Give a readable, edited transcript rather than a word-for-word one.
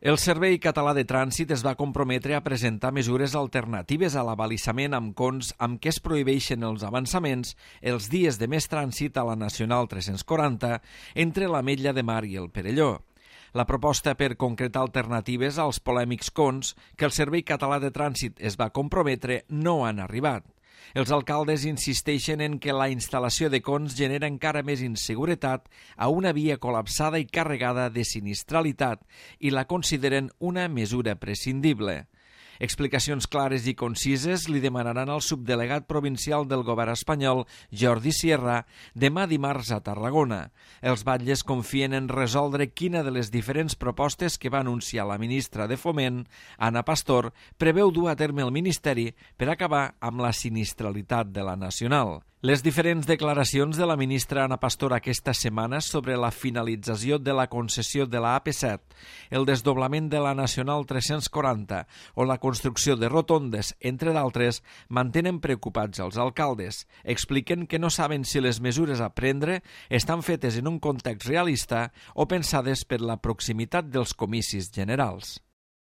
El Servei Català de Trànsit es va comprometre a presentar mesures alternatives a l'abalisament amb cons amb què es prohibeixen els avançaments els dies de més trànsit a la Nacional 340 entre l'Ametlla de Mar i el Perelló. La proposta per concretar alternatives als polèmics cons que el Servei Català de Trànsit es va comprometre no han arribat. Els alcaldes insisteixen en que la instal·lació de cons genera encara més inseguretat a una via col·lapsada i carregada de sinistralitat i la consideren una mesura prescindible. Explicacions clares i concises li demanaran al subdelegat provincial del govern espanyol, Jordi Sierra, demà dimarts a Tarragona. Els batlles confien en resoldre quina de les diferents propostes que va anunciar la ministra de Foment, Ana Pastor, preveu dur a terme el Ministeri per acabar amb la sinistralitat de la Nacional. Les diferents declaracions de la ministra Ana Pastor aquesta setmana sobre la finalització de la concessió de la AP7, el desdoblament de la Nacional 340 o la construcció de rotondes, entre d'altres, mantenen preocupats els alcaldes. Expliquen que no saben si les mesures a prendre estan fetes en un context realista o pensades per la proximitat dels comicis generals.